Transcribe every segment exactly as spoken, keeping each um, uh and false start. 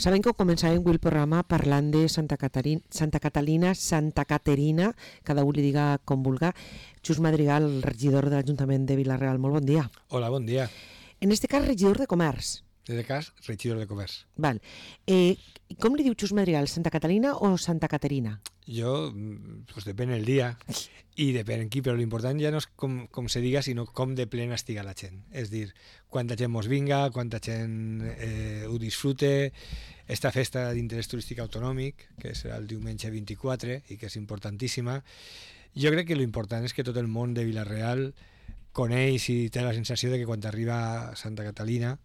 Saben que començàvem el programa parlant de Santa Caterina, Santa Catalina, Santa Caterina, cada un li diga com vulga. Xus Madrigal, regidor de l'Ajuntament de Vila-real, molt bon dia. Hola, bon dia. En este cas, regidor de Comerç. En aquest cas, regidor de Comerç. Val. Eh, com li diu Xus Madrigal, Santa Catalina o Santa Caterina? Jo, pues depèn el dia i depèn en qui, però l'important ja no és com, com se diga, sinó com de plena estiga la gent. És dir, quanta gent mos vinga, quanta gent eh, ho disfrute. Esta festa d'interès turístic autonòmic, que serà el diumenge vint-i-quatre i que és importantíssima, jo crec que l'important és que tot el món de Vila-real coneix i té la sensació de que quan arriba Santa Catalina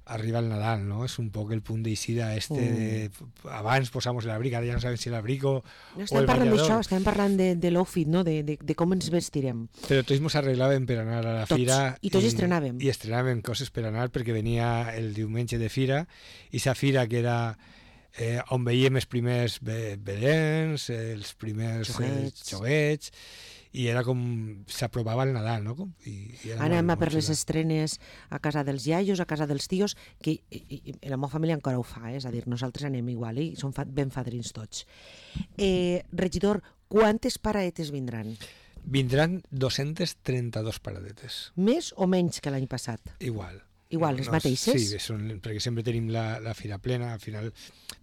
arriba el Nadal, ¿no? Es un poc el punt d'eixida este mm. de... Abans posamos l'abric, ara ja no sabem si l'abric o, no, o el parlant ballador. d'això, estem parlant de, de l'outfit, no? de, de, de com ens vestirem. Però tots ens arreglàvem per anar a la tots. fira. I tots i, estrenàvem. I estrenàvem coses per anar perquè venia el diumenge de fira, i sa fira que era eh, on veiem els primers belens, els primers xoguets, eh, xoguets, i era com s'aprovava el Nadal, no? I, i anem a per les estrenes a casa dels iaios, a casa dels tios, que i, i, la meva família encara ho fa, eh? És a dir, nosaltres anem igual i som fa, ben fadrins tots. Eh, regidor, quantes paradetes vindran? Vindran dos-centes trenta-dos paradetes. Més o menys que l'any passat? Igual. Igual, les no, mateixes? Sí, són, perquè sempre tenim la, la fira plena, al final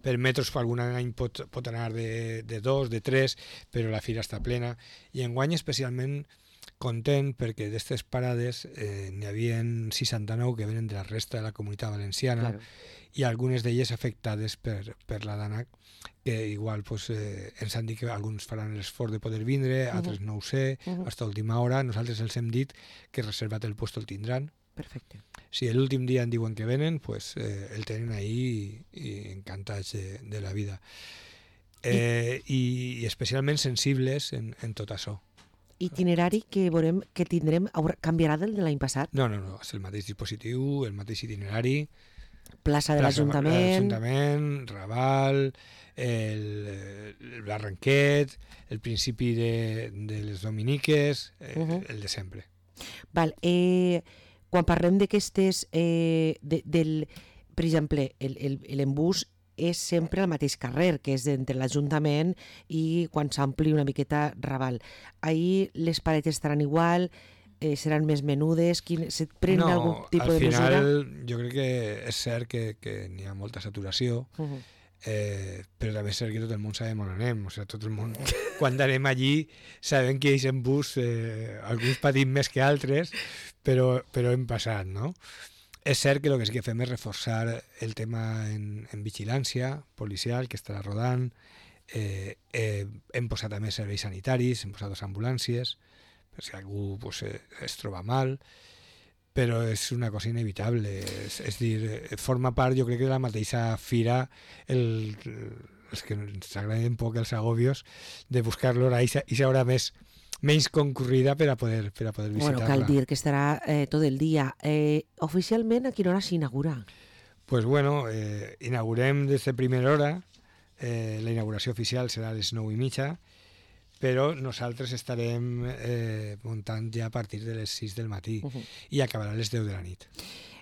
per metres algun any pot, pot anar de, de dos, de tres, però la fira està plena, i enguany especialment content perquè d'aquestes parades eh, n'hi havia seixanta-nou que venen de la resta de la Comunitat Valenciana, claro. I algunes d'elles afectades per, per la DANAC, que igual pues, eh, ens han dit que alguns faran l'esforç de poder vindre, uh-huh. altres no ho sé, uh-huh. fins a última hora. Nosaltres els hem dit que reservat el puesto el tindran. Perfecte. Si l'últim dia en diuen que venen, pues, eh, el tenen ahí i, i encantats de, de la vida. Eh, I, I especialment sensibles en, en tot això. Itinerari que veurem que tindrem canviarà del de l'any passat? No, no, no, és el mateix dispositiu, el mateix itinerari. Plaça de l'Ajuntament. L'Ajuntament, Raval, el, el Barranquet, el principi de, de les Dominiques, eh, uh-huh. el de sempre. Val, eh... Quan parlem d'aquestes, eh, de, del, per exemple, l'embús és sempre al mateix carrer, que és entre l'Ajuntament i quan s'ampli una miqueta Raval. Ahir les paredes estaran igual, eh, seran més menudes, quin, se pren no, algun tipus de mesura? No, al final jo crec que és cert que, que n'hi ha molta saturació, uh-huh. Eh, però també és cert que tot el món sabem on anem, o sigui, tot el món quan anem allí sabem que ells en bus eh, alguns patim més que altres, però, però hem passat, no? És cert que el que sí que fem és reforçar el tema en, en vigilància policial que estarà rodant, eh, eh, hem posat a més serveis sanitaris, hem posat dos ambulàncies per si algú pues, eh, es troba mal, però és una cosa inevitable, és, és dir, forma part, jo crec que de la mateixa fira, el, els que ens agraden poc els agobios, de buscar l'hora i s'haurà més menys concurrida per a poder, per a poder visitar-la. Bueno, cal dir que estarà eh, tot el dia. Eh, oficialment, a quina hora s'inaugura? Pues bueno, eh, inaugurem des de primera hora, eh, la inauguració oficial serà a les nou i mitja, però nosaltres estarem eh, muntant ja a partir de les sis del matí uh-huh. i acabarà a les deu de la nit.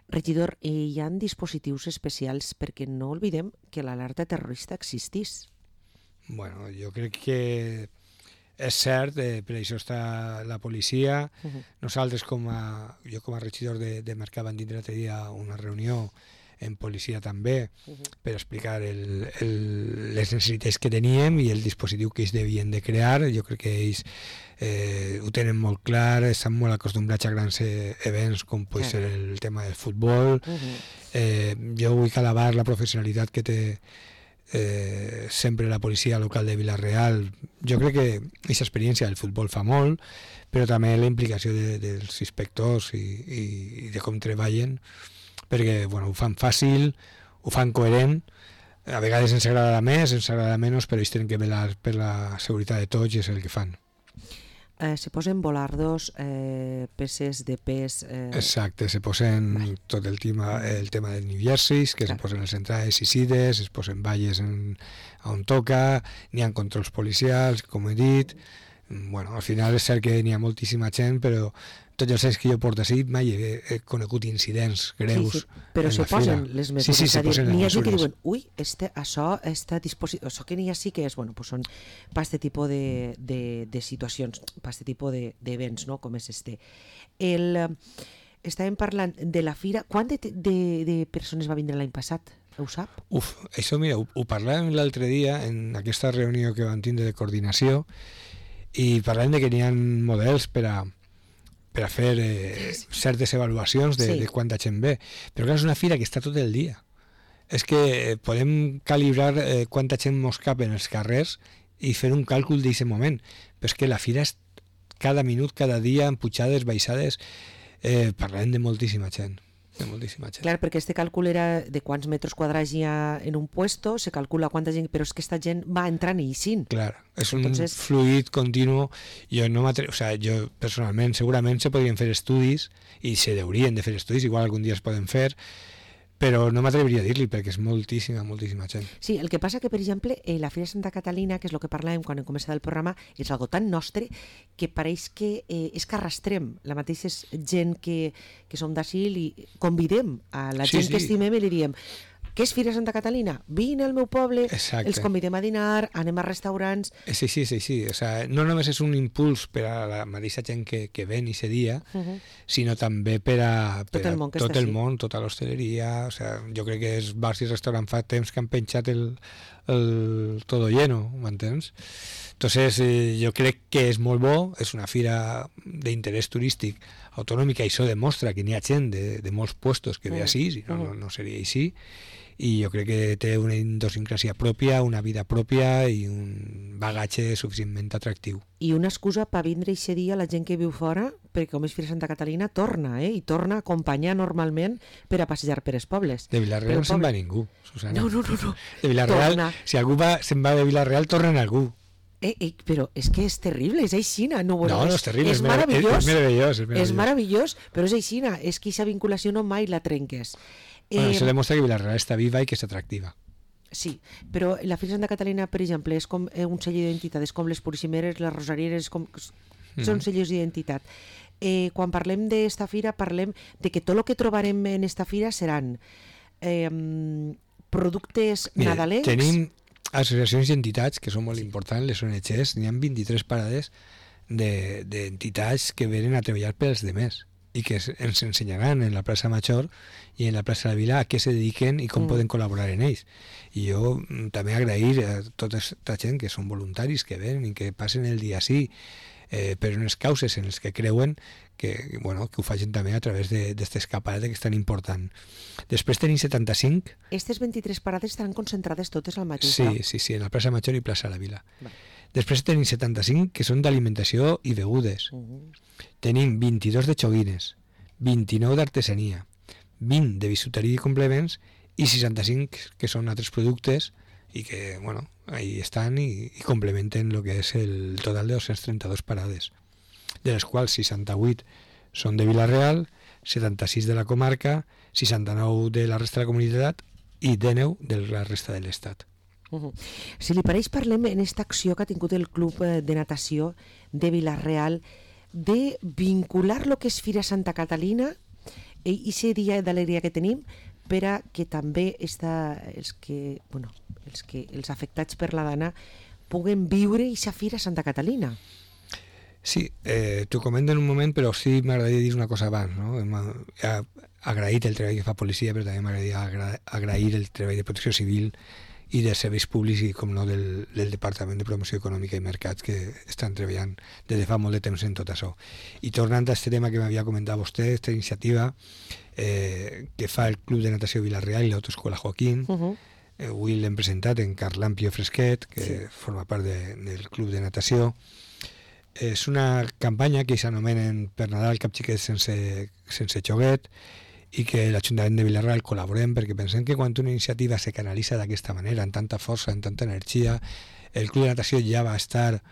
Regidor, eh, hi ha dispositius especials perquè no oblidem que l'alerta terrorista existís. Bueno, jo crec que és cert, eh, per això està la policia. Uh-huh. Nosaltres, com a, jo com a regidor de, de Mercat, vam tindre l'altre dia una reunió en policia també, uh-huh. per explicar el, el, les necessitats que teníem i el dispositiu que ells devien de crear. Jo crec que ells eh, ho tenen molt clar, estan molt acostumbrats a grans eh, events com pot ser el tema del futbol. Uh-huh. eh, jo vull alabar la professionalitat que té eh, sempre la policia local de Vila-real. Jo crec que aquesta experiència del futbol fa molt, però també la implicació de, dels inspectors i, i, i de com treballen, perquè bueno, ho fan fàcil, ho fan coherent, a vegades ens agrada més, ens agrada menys, però ells tenen que velar per la seguretat de tots i és el que fan. Eh, se posen volardos, eh, peces de pes... Eh... Exacte, se posen vale. Tot el tema, el tema de New Jerseys, que claro. Se posen les entrades i sides, es posen valles en, on toca, n'hi ha controls policials, com he dit, bueno, al final és cert que n'hi ha moltíssima gent, però tots els anys que jo porto així mai he, he conegut incidents greus. Sí, sí, però se posen les mesures. Sí, sí, se posen les mesures. N'hi ha gent que diuen, ui, este, això, esta disposició, això que n'hi ha sí que és, bueno, pues són per aquest tipus de, de, de situacions, per aquest tipus d'events, no?, com és este. El, estàvem parlant de la fira. Quant de, de, de persones va vindre l'any passat? Ho sap? Uf, això mira, ho, ho parlàvem l'altre dia en aquesta reunió que vam tindre de coordinació, i parlem de que n'hi ha models per a, per a fer eh, certes avaluacions de, sí. de quanta gent ve. Però clar, és una fira que està tot el dia. És que podem calibrar eh, quanta gent mos cap en els carrers i fer un càlcul d'aquest moment. Però és que la fira és cada minut, cada dia, amb pujades, baixades. Eh, parlem de moltíssima gent. De moltíssima gent. Clar, perquè este càlcul era de quants metres quadrats hi ha en un puesto, se calcula quanta gent, però és que esta gent va entrant i eixint. Clar, és Entonces... un fluid continu. Jo no m'atre... o sea, jo personalment, segurament se podrien fer estudis, i se deurien de fer estudis, igual algun dia es poden fer, però no m'atreviria a dir-li, perquè és moltíssima, moltíssima gent. Sí, el que passa que, per exemple, eh, la Fira de Santa Catalina, que és el que parlàvem quan hem començat el programa, és algo tan nostre que pareix que eh, és que arrastrem la mateixa gent que, que som d'ací i convidem a la Sí, gent sí. que estimem i li diem: què és Fira de Santa Catalina? Vine al meu poble, Exacte. els convidem a dinar, anem a restaurants... És així, és així. O sea, no només és un impuls per a la mateixa gent que, que ven i se dia, Uh -huh. sinó també per a, per Tot el a món que tot està el així. món, tota l'hostaleria. O sea, jo crec que els bars i restaurants fa temps que han penjat el, el todo lleno, m'entens? Entonces, eh, jo crec que és molt bo, és una fira d'interès turístic autonòmica, i això demostra que n'hi ha gent de, de molts puestos que ve Uh-huh. així, si no, Uh-huh. no, no seria així, i jo crec que té una idiosincràsia pròpia, una vida pròpia i un bagatge suficientment atractiu. I una excusa per vindre aquest dia la gent que viu fora, perquè com és Fira de Santa Catalina, torna, eh? I torna a acompanyar normalment per a passejar per els pobles. De Vila-real no se'n va ningú, Susana. No, no, no, no. De Vila-real, Torna. si algú va, se'n va de Vila-real, torna en algú. Eh, eh, però és que és terrible, és aixina. No, bueno, No, no és, és terrible, és és, merav- meravellós. és meravellós. És És meravellós. meravellós, però és aixina. És que aquesta vinculació no mai la trenques. Bueno, Eh, això demostra que Vila-real està viva i que és atractiva. Sí, però la Fira de Santa Catalina, per exemple, és com eh, un sell d'identitat, és com les purissimeres, les rosarieres, com... són sellos d'identitat. Eh, quan parlem d'esta fira, parlem de que tot el que trobarem en esta fira seran eh, productes Mira, nadalencs... tenim associacions i entitats que són molt importants, les O N Ges, n'hi ha vint-i-tres parades de- d'entitats que venen a treballar per als demés i que es- ens ensenyaran en la plaça Major i en la plaça de la Vila a què se dediquen i com Mm. poden col·laborar en ells. I jo mm, també agrair a tota aquesta gent que són voluntaris, que venen i que passen el dia així eh, per unes causes en les que creuen que, bueno, que ho facin també a través d'aquesta escapada que és tan important. Després tenim setanta-cinc. Aquestes vint-i-tres parades estaran concentrades totes al mateix Sí, lloc. sí, sí, en la plaça Major i plaça de la Vila. Va. Després tenim setanta-cinc que són d'alimentació i begudes. Uh-huh. Tenim vint-i-dos de xoguines, vint-i-nou d'artesania, vint de bisuteria i complements i seixanta-cinc que són altres productes i que, bueno, ahí estan i, i complementen el que és el total de dos-cents trenta-dos parades, de les quals seixanta-vuit són de Vila-real, setanta-sis de la comarca, seixanta-nou de la resta de la comunitat i dinou de la resta de l'Estat. Uh-huh. Si li pareix, parlem en aquesta acció que ha tingut el Club eh, de Natació de Vila-real de vincular lo que és Fira Santa Catalina i aquest dia d'alegria que tenim per a que també esta, els, que, bueno, els, que, els afectats per la dana puguen viure aquesta Fira Santa Catalina. Sí, eh, t'ho comento en un moment, però sí m'agradaria dir una cosa abans, no? Hem ha agraït el treball que fa policia, però també m'agradaria agra agrair el treball de protecció civil i dels serveis públics i, com no, del, del Departament de Promoció Econòmica i Mercats, que estan treballant des de fa molt de temps en tot això. I tornant a aquest tema que m'havia comentat vostè, aquesta iniciativa eh, que fa el Club de Natació Vila-real i l'Autoescola Joaquín, Uh -huh. eh, avui l'hem presentat en Carlan Pio Fresquet, que Sí. forma part de, del Club de Natació. És una campanya que s'anomenen per Nadal cap xiquet sense, sense xoguet i que l'Ajuntament de Vila-real col·laborem perquè pensem que quan una iniciativa se canalitza d'aquesta manera, amb tanta força, amb tanta energia, el Club de Natació ja va estar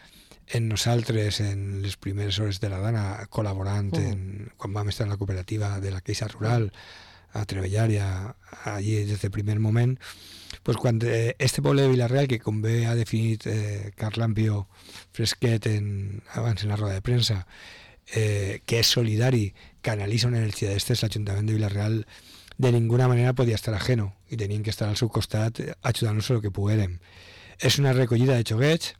en nosaltres en les primeres hores de la dana col·laborant Mm. en, quan vam estar en la cooperativa de la Queixa Rural a treballar i a, a, allí des del primer moment, pues quan eh, este poble de Vila-real, que com bé ha definit eh, Carlampio Fresquet en, abans en la roda de premsa, eh, que és solidari, canalitza una energia d'estes, l'Ajuntament de Vila-real de ninguna manera podia estar ajeno i tenien que estar al seu costat ajudant-nos el que poguérem. És una recollida de xoguets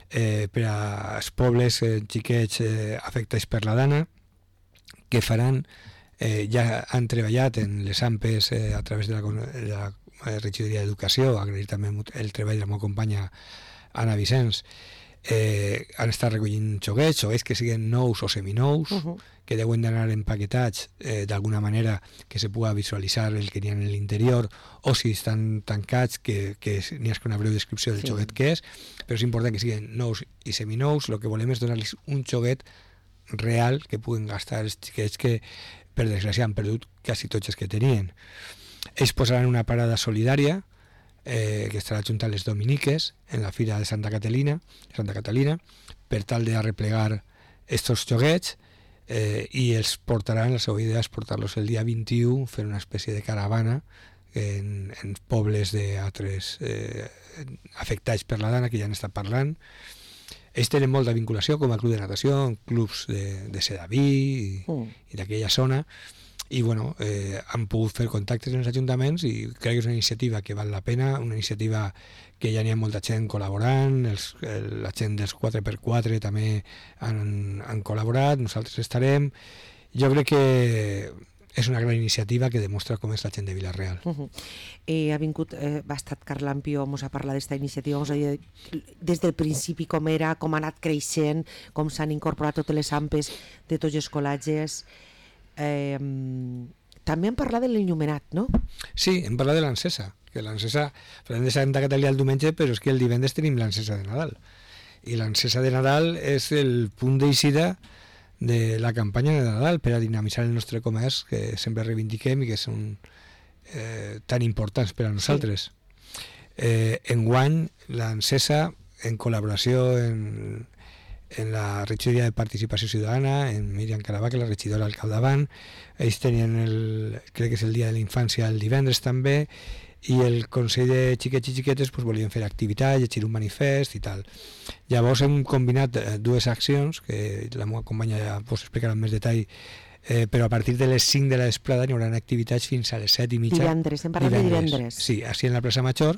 eh, per als pobles eh, xiquets eh, afectats per la dana, que faran, eh, ja han treballat en les A M P Es eh, a través de la, de la regidoria d'Educació, agrair també el treball de la meva companya Anna Vicenç, eh, han estat recollint xoguets, xoguets que siguin nous o seminous, uh -huh. que deuen d'anar empaquetats eh, d'alguna manera que se pugui visualitzar el que n'hi ha en l'interior, o si estan tancats, que, que n'hi hagi una breu descripció del sí. xoguet que és, però és important que siguin nous i seminous. El que volem és donar-los un xoguet real que puguen gastar els xiquets que, per desgràcia, han perdut quasi tots els que tenien. Ells posaran una parada solidària eh, que estarà junta a les Dominiques en la Fira de Santa Catalina, Santa Catalina per tal de arreplegar estos xoguets eh, i els portaran, la seva idea és portar-los el dia vint-i-u, fer una espècie de caravana en, en pobles d'altres eh, afectats per la dana que ja han estat parlant. Ells tenen molta vinculació com a club de natació, en clubs de, de Sedaví i, mm. i d'aquella zona, i bueno, eh, han pogut fer contactes en els ajuntaments i crec que és una iniciativa que val la pena, una iniciativa que ja n'hi ha molta gent col·laborant, els, el, la gent dels quatre per quatre també han, han col·laborat, nosaltres estarem. Jo crec que és una gran iniciativa que demostra com és la gent de Vila-real. Uh -huh. eh, ha vingut, eh, ha estat Carlampio, ens ha parlat d'esta iniciativa, ens ha dit des del principi com era, com ha anat creixent, com s'han incorporat totes les A M P Es de tots els col·legis. Eh, també hem parlat de l'enllumenat, no? Sí, hem parlat de l'encesa, que l'encesa, parlem de Santa Catalina el diumenge, però és que el divendres tenim l'encesa de Nadal. I l'encesa de Nadal és el punt d'eixida de la campanya de Nadal per a dinamitzar el nostre comerç, que sempre reivindiquem i que són eh, tan importants per a nosaltres. Sí. Eh, enguany, l'encesa, en col·laboració en, en la regidoria de participació ciutadana, en Míriam Carabà, que la regidora al capdavant, ells tenien el, crec que és el dia de la infància el divendres també, i el Consell de Xiquets i Xiquetes pues, volien fer activitat, llegir un manifest i tal. Llavors hem combinat eh, dues accions, que la meva companya ja us explicarà amb més detall, eh, però a partir de les cinc de la vesprada hi haurà activitats fins a les set i mitja. Divendres, hem parlat divendres. de divendres. Sí, així en la plaça Major,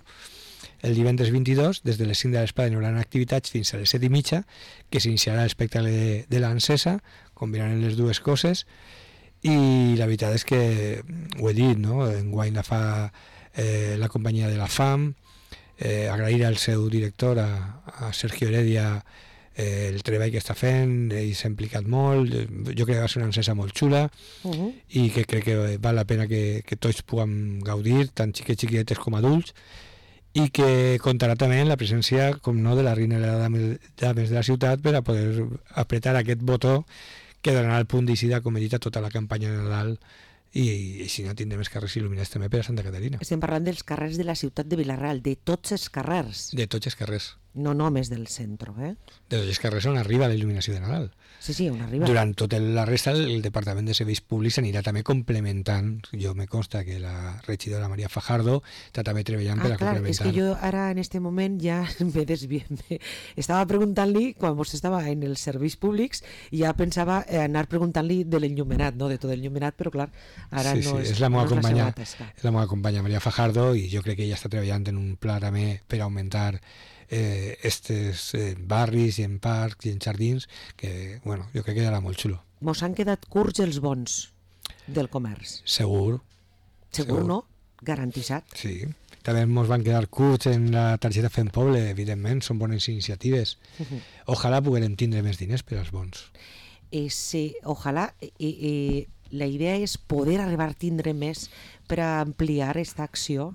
el divendres vint-i-dos, des de les cinc de la vesprada hi haurà activitats fins a les set i mitja, que s'iniciarà l'espectacle de, de l'encesa, combinant les dues coses, i la veritat és que, ho he dit, no? Enguany la fa Eh, la companyia de la FAM, eh, agrair al seu director, a, a Sergio Heredia, eh, el treball que està fent, ell s'ha implicat molt, jo crec que va ser una encesa molt xula uh -huh. i que crec que val la pena que, que tots puguem gaudir, tant xiquets, xiquetes com adults, i que comptarà també amb la presència, com no, de la reina de les dames de la ciutat per a poder apretar aquest botó que donarà el punt d'eixida, com he dit, a tota la campanya de Nadal, i així no tindrem els carrers il·luminats també per a Santa Caterina. Estem parlant dels carrers de la ciutat de Vila-real, de tots els carrers. De tots els carrers. No només del centre, eh? De tots els carrers on arriba la il·luminació de Nadal. Sí, sí, on arriba. Durant tota la resta, el Departament de Serveis Públics anirà també complementant. Jo me consta que la regidora Maria Fajardo està també treballant ah, per a clar, complementar. És que jo ara en este moment ja me desviem. Estava preguntant-li, quan vostè estava en els serveis públics, i ja pensava anar preguntant-li de l'enllumenat, no de tot l'enllumenat, però clar, ara sí, no sí, és, és la meva no companya, és la seva tasca. És la meva companya Maria Fajardo, i jo crec que ella està treballant en un pla també per augmentar eh, estes eh, barris i en parcs i en jardins, que bueno, jo crec que era molt xulo. Mos han quedat curts els bons del comerç. Segur. Segur, segur. No? Garantitzat. Sí. També ens van quedar curts en la targeta Fem Poble, evidentment, són bones iniciatives. Uh -huh. Ojalà puguem tindre més diners per als bons. Eh, sí, ojalà. Eh, eh, la idea és poder arribar a tindre més per a ampliar aquesta acció.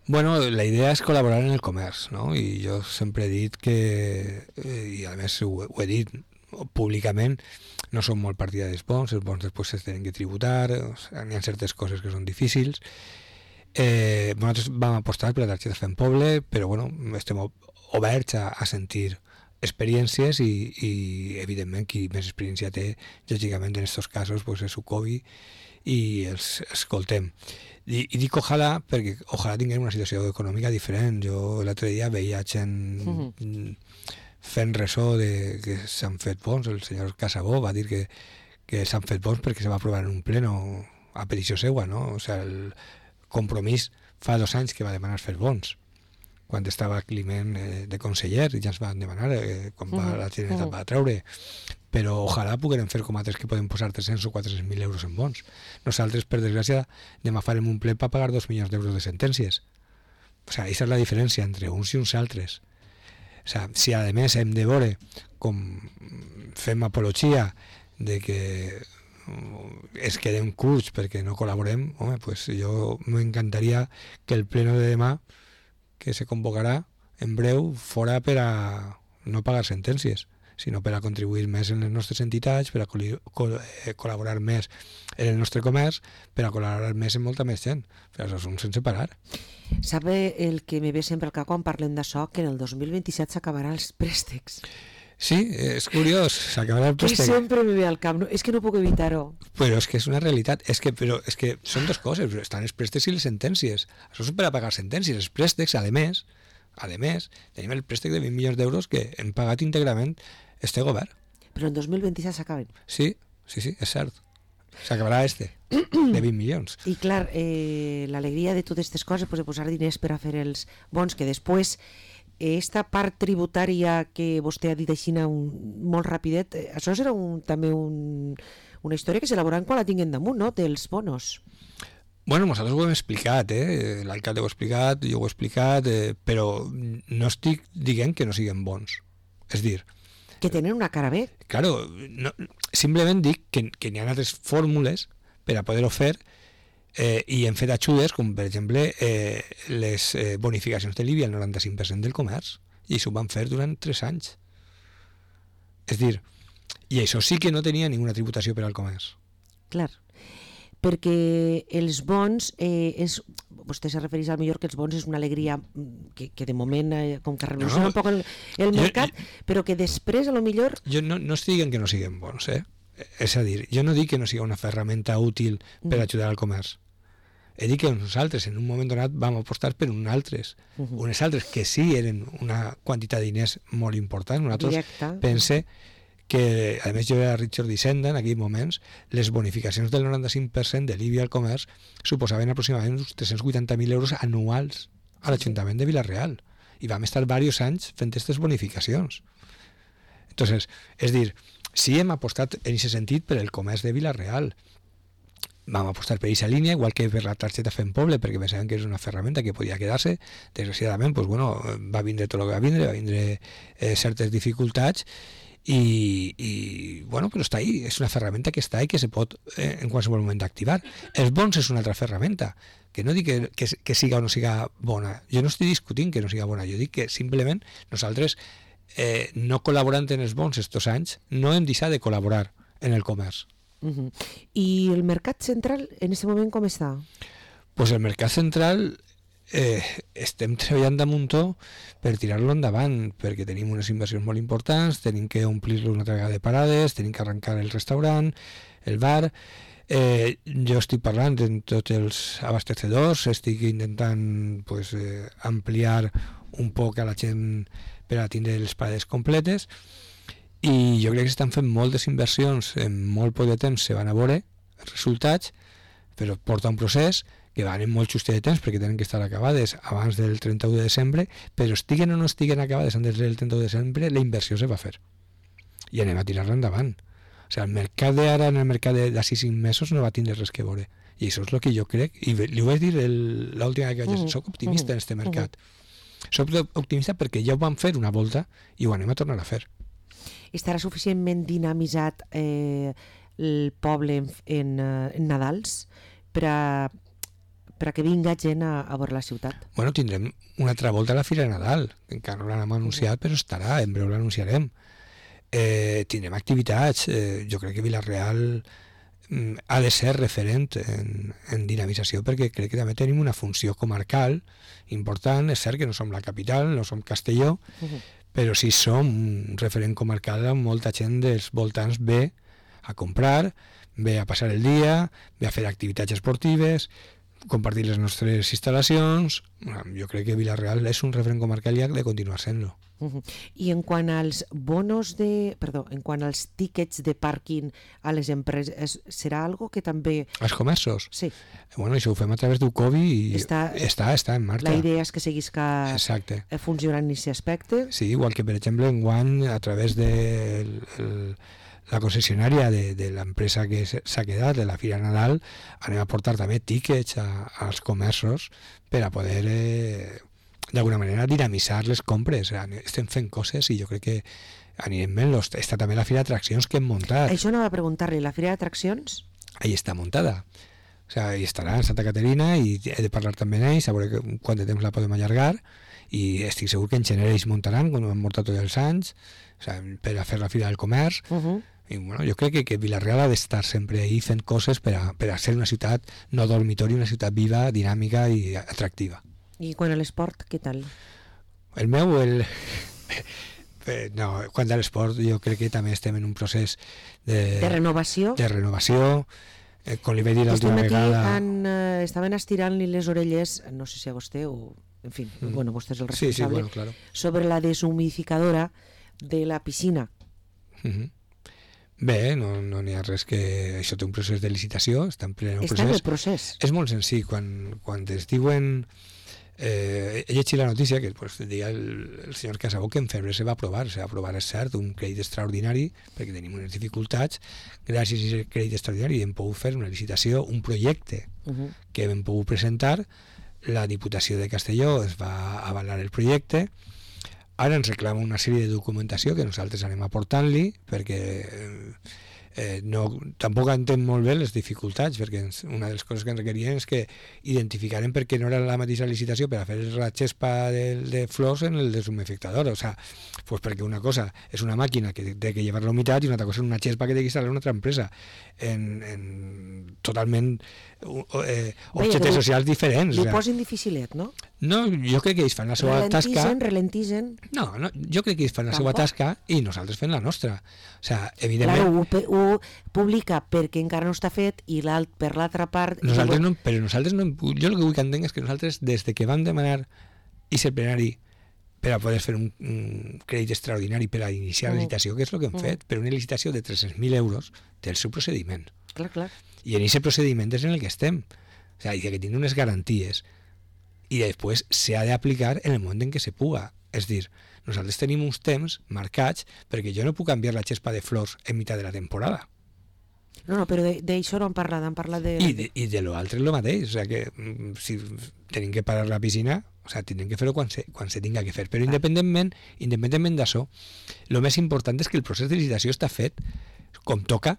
Bueno, la idea és col·laborar en el comerç, no? I jo sempre he dit que, eh, i a més ho, ho he dit públicament, no som molt partidaris bons, els bons després es tenen que tributar, o sigui, hi ha certes coses que són difícils. Eh, nosaltres vam apostar per la targeta Fem Poble, però bueno, estem oberts a, a sentir experiències i, i evidentment qui més experiència té, lògicament en aquests casos pues, és Sucovi i els escoltem. I, i dic ojalà perquè ojalà tinguem una situació econòmica diferent. Jo l'altre dia veia gent mm-hmm. fent ressò de que s'han fet bons. El senyor Casabó va dir que, que s'han fet bons perquè se va aprovar en un pleno a petició seua, no? O sigui, el compromís fa dos anys que va demanar fer bons, quan estava Climent eh, de conseller, i ja ens van demanar eh, quan va, la Generalitat va treure, però ojalà puguem fer com altres que poden posar tres-cents o quatre-cents mil euros en bons. Nosaltres, per desgràcia, demà farem un ple per pagar dos milions d'euros de sentències. O sigui, aquesta és la diferència entre uns i uns altres. O sigui, si a més hem de veure com fem apologia de que es quedem curts perquè no col·laborem, home, pues jo m'encantaria que el pleno de demà que se convocarà en breu fora per a no pagar sentències, sinó per a contribuir més en les nostres entitats, per a col col col·laborar més en el nostre comerç, per a col·laborar més en molta més gent. Però això és un sense parar. Sabe el que me ve sempre al cap quan parlem d'això, que en el dos mil vint-i-set s'acabaran els préstecs. Sí, és curiós, s'acabarà el préstec. Que sempre me ve al cap, no, és que no puc evitar-ho. Però és que és una realitat, és que, però és que són dues coses, estan els préstecs i les sentències. Això és per a pagar sentències. Els préstecs, a més, a més, tenim el préstec de vint milions d'euros que hem pagat íntegrament este govern. Però en dos mil vint-i-set s'acaben. Sí, sí, sí, és cert. S'acabarà este, de vint milions. I clar, eh, l'alegria de totes aquestes coses, pues, de posar diners per a fer els bons, que després esta part tributària que vostè ha dit així un, molt rapidet, això serà un, també un, una història que s'elaboraran quan la tinguem damunt, no?, dels bonos. Bueno, nosaltres ho hem explicat, eh? L'alcalde ho ha explicat, jo ho he explicat, eh, però no estic dient que no siguin bons. És dir... Que tenen una cara bé. Claro, no, simplement dic que, que n'hi ha altres fórmules per a poder-ho fer. Eh, i hem fet ajudes com per exemple eh, les eh, bonificacions de l'I B I al noranta-cinc per cent del comerç, i això ho van fer durant tres anys. És dir, i això sí que no tenia ninguna tributació per al comerç. Clar, perquè els bons eh, és, vostè se refereix al millor que els bons és una alegria que, que de moment eh, com que revoluciona no, no, un poc el, el mercat, jo, però que després a lo millor... Jo no, no estic dient que no siguin bons, eh? És a dir, jo no dic que no sigui una ferramenta útil per mm. ajudar al comerç. He dit que nosaltres en un moment donat vam apostar per uns altres, uh -huh. unes altres que sí eren una quantitat de diners molt important. Nosaltres pense que, a més jo era Richard d'Hisenda en aquells moments, les bonificacions del noranta-cinc per cent de l'I B I al comerç suposaven aproximadament uns tres-cents vuitanta mil euros anuals a l'Ajuntament de Vila-real, i vam estar diversos anys fent aquestes bonificacions. Entonces, és dir, sí hem apostat en aquest sentit per el comerç de Vila-real. Vam apostar per aquesta línia, igual que per la targeta Fem Poble, perquè pensàvem que és una ferramenta que podia quedar-se. Desgraciadament, pues, bueno, va vindre tot el que va vindre, va vindre eh, certes dificultats, i, i bueno, però està ahí, és una ferramenta que està ahí, que se pot eh, en qualsevol moment activar. Els bons és una altra ferramenta, que no dic que, que, que siga o no siga bona. Jo no estic discutint que no siga bona, jo dic que simplement nosaltres, eh, no col·laborant en els bons estos anys, no hem deixat de col·laborar en el comerç. Uh-huh. I el mercat central en aquest moment com està? Pues el mercat central eh, estem treballant de muntó per tirar-lo endavant, perquè tenim unes inversions molt importants, tenim que omplir-lo una altra vegada de parades, tenim que arrencar el restaurant, el bar. Eh, jo estic parlant amb tots els abastecedors, estic intentant pues, eh, ampliar un poc a la gent per a tindre les parades completes, i jo crec que s'estan fent moltes inversions en molt poc de temps, se van a veure els resultats, però porta un procés que van en molt justet de temps perquè tenen que estar acabades abans del trenta-u de desembre, però estiguen o no estiguen acabades antes del trenta-u de desembre, la inversió se va fer i anem a tirar-la endavant. O sigui, el mercat d'ara en el mercat d'ací cinc mesos no va tindre res que veure, i això és el que jo crec, i li ho vaig dir l'última que vaig dir, soc optimista en aquest mercat, soc optimista perquè ja ho vam fer una volta i ho anem a tornar a fer. Estarà suficientment dinamitzat eh, el poble en, en, en Nadals per a, per a que vinga gent a, a veure la ciutat? Bueno, tindrem una altra volta a la Fira de Nadal, que encara no l'hem anunciat, però estarà, en breu l'anunciarem. Eh, tindrem activitats, eh, jo crec que Vila-real mm, ha de ser referent en, en dinamització, perquè crec que també tenim una funció comarcal important. És cert que no som la capital, no som Castelló, uh-huh. però sí som un referent comarcal on molta gent dels voltants ve a comprar, ve a passar el dia, ve a fer activitats esportives, compartir les nostres instal·lacions. Jo crec que Vila-real és un referent comarcal i ha de continuar sent-lo. Uh-huh. I en quant als bonos de... Perdó, en quant als tíquets de pàrquing a les empreses, serà algo que també... Els comerços? Sí. Bueno, això ho fem a través d'Ucovi i està, està, està en marxa. La idea és que seguisca Exacte. funcionant en aquest aspecte. Sí, igual que, per exemple, enguany, a través de el, el, la concessionària de, de l'empresa que s'ha quedat, de la Fira Nadal, anem a portar també tíquets a, als comerços per a poder... Eh, d'alguna manera dinamitzar les compres. Estem fent coses i jo crec que anirem bé. Està també la Fira d'Atraccions que hem muntat. Això anava a preguntar-li, la Fira d'Atraccions? Ahí està muntada. O sea, ahí estarà en Santa Caterina i he de parlar també amb ells, a veure quant de temps la podem allargar, i estic segur que en gener ells muntaran, quan ho hem muntat tots els anys, o sea, per a fer la Fira del Comerç. Uh-huh. I bueno, jo crec que, que Vila-real ha d'estar sempre ahí fent coses per a, per a ser una ciutat no dormitori, una ciutat viva, dinàmica i atractiva. I quan a l'esport, què tal? El meu, el... no, quan a l'esport jo crec que també estem en un procés de... De renovació? De renovació. Eh, com li vaig dir l'última vegada... Han, eh, estaven estirant-li les orelles, no sé si a vostè o... En fi, mm. bueno, vostè és el responsable. Sí, sí, bueno, claro. Sobre la deshumidificadora de la piscina. Mm-hmm. Bé, no n'hi no ha res que... Això té un procés de licitació, està en ple procés. Està en el procés. És molt senzill. Quan, quan es diuen... Eh, he llegit la notícia que pues, deia el, el senyor Casabó que en febrer se va aprovar, se va aprovar, és cert, un crèdit extraordinari perquè tenim unes dificultats. Gràcies a aquest crèdit extraordinari hem pogut fer una licitació, un projecte uh-huh. que hem pogut presentar. La Diputació de Castelló es va avalar el projecte. Ara ens reclama una sèrie de documentació que nosaltres anem aportant-li perquè eh, no, tampoc entenc molt bé les dificultats, perquè ens, una de les coses que ens requerien és que identificarem perquè no era la mateixa licitació per a fer la xespa de, de flors en el deshumidificador. O sea, pues perquè una cosa és una màquina que té que llevar la humitat i una altra cosa és una xespa que té que instal·lar una altra empresa en, en totalment eh, objectes socials diferents. Li o sea, posin dificilet, no? No, jo crec que ells fan la seva ralentigen, tasca... Ralentigen, no, no, jo crec que ells fan la seva tasca i nosaltres fem la nostra. O sea, evidentment... Claro, ho, ho publica perquè encara no està fet i l'alt per l'altra part... Nosaltres no, però nosaltres no... Jo el que vull que entenc és que nosaltres, des de que vam demanar i ser plenari per a poder fer un, un crèdit extraordinari per a iniciar la licitació, que és el que hem mm. fet, per una licitació de tres-cents mil euros, té el seu procediment. Clar, clar. I en aquest procediment és en el que estem. O sea, que tiene unes garanties i després s'ha d'aplicar en el moment en què se puga. És dir, nosaltres tenim uns temps marcats perquè jo no puc canviar la xespa de flors en mitjà de la temporada. No, no, però d'això no han parlat, han parlat de... I de, i de l'altre és el mateix, o sea que si tenim que parar la piscina, o sea, tindrem que fer-ho quan se, quan se tinga que fer, però independentment, independentment d'això, el més important és que el procés de licitació està fet com toca,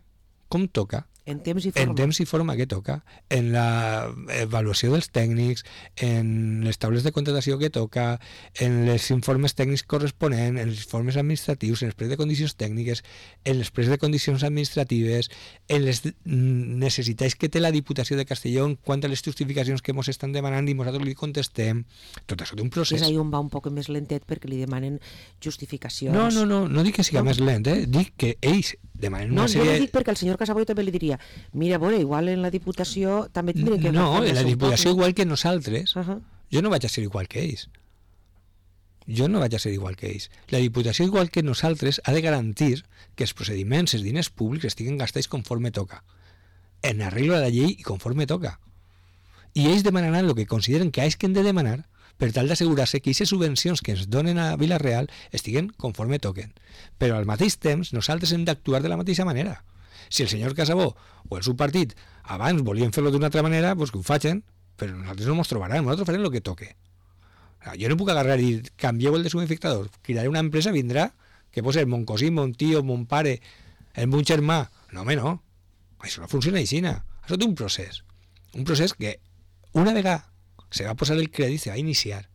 com toca, en temps i forma. En temps i forma que toca, en la avaluació dels tècnics, en les taules de contratació que toca, en els informes tècnics corresponents, en els informes administratius, en els precs de condicions tècniques, en els precs de condicions administratives, en les necessitats que té la Diputació de Castelló en quant a les justificacions que ens estan demanant i nosaltres li contestem. Tot això té un procés. És ahí on va un poc més lentet perquè li demanen justificacions. No, no, no, no dic que sigui no. més lent, eh? Dic que ells demanen no, una sèrie... No, jo dic perquè el senyor Casaboy també li diria mira, bueno, igual en la Diputació també tindrem que... No, en la Diputació igual que nosaltres, uh-huh. jo no vaig a ser igual que ells. Jo no vaig a ser igual que ells. La Diputació, igual que nosaltres, ha de garantir que els procediments, els diners públics estiguen gastats conforme toca, en arreglo a la llei i conforme toca. I ells demanaran el que consideren que ells que han de demanar per tal d'assegurar-se que aquestes subvencions que ens donen a Vila-real estiguen conforme toquen. Però al mateix temps nosaltres hem d'actuar de la mateixa manera. Si el senyor Casabó o el seu partit abans volien fer-lo d'una altra manera, doncs que ho facin, però nosaltres no ens trobaran, nosaltres farem el que toque. Jo no puc agarrar i dir, canvieu el deshumidificador, cridaré una empresa, vindrà, que pot ser mon cosí, mon tio, mon pare, el mon germà. No, home, no. Això no funciona així. Això té un procés. Un procés que una vegada se va posar el crèdit, se va iniciar.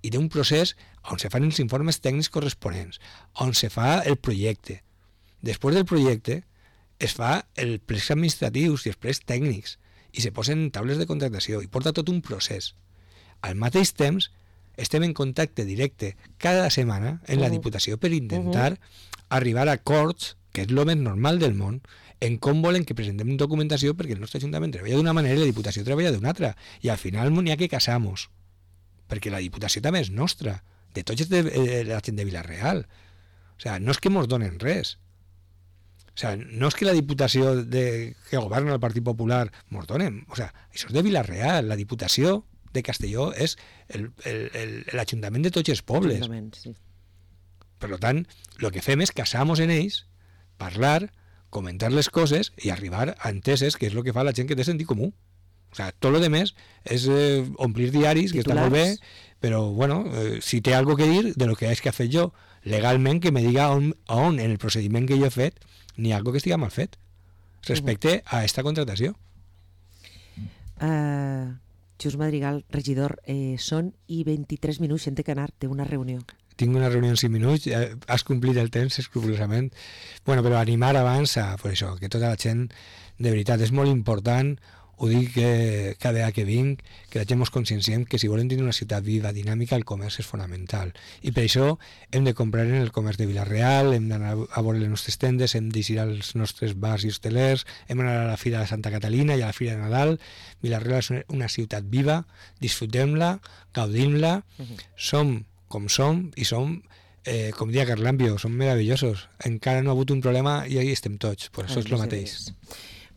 I té un procés on se fan els informes tècnics corresponents, on se fa el projecte. Després del projecte es fa el plecs administratius i els plecs tècnics i se posen taules de contractació i porta tot un procés. Al mateix temps estem en contacte directe cada setmana en la Diputació per intentar arribar a acords, que és el més normal del món, en com volen que presentem documentació, perquè el nostre Ajuntament treballa d'una manera i la Diputació treballa d'una altra, i al final n'hi ha que casamos, perquè la Diputació també és nostra, de tots és de, de la gent de Vila-real. O sigui, no és que mos donen res. O sigui, no és que la Diputació de, que governa el Partit Popular mos donen. O sigui, això és de Vila-real. La Diputació de Castelló és l'Ajuntament de tots els pobles. Sí. Per tant, el que fem és casar-nos en ells, parlar, comentar les coses i arribar a enteses, que és el que fa la gent que té sentit comú. O sea, tot lo demás és eh, omplir diaris, que Titulars. està molt bé, però bueno, eh, si té algo que dir de lo que és que ha fet jo legalment, que me diga on, on en el procediment que jo he fet n'hi ha algo que estiga mal fet respecte a esta contratació. Uh, Xus Madrigal, regidor, eh, són i vint-i-tres minuts, gent té que anar, té una reunió. Tinc una reunió en cinc minuts, eh, has complit el temps escrupolosament. Bueno, però animar abans a, per això, que tota la gent, de veritat, és molt important, ho dic que cada vegada que vinc, que la gent ens conscienciem que si volem tenir una ciutat viva, dinàmica, el comerç és fonamental. I per això hem de comprar en el comerç de Vila-real, hem d'anar a veure les nostres tendes, hem d'eixir als nostres bars i hostelers, hem d'anar a la Fira de Santa Catalina i a la Fira de Nadal. Vila-real és una ciutat viva, disfrutem-la, gaudim-la, uh-huh. Som com som i som, eh, com dia Carlambio, som meravellosos. Encara no ha hagut un problema i ahí estem tots, per això és el mateix.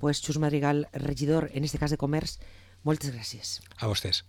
Pues Xus Madrigal, regidor, en este cas de comerç, moltes gràcies. A vostès.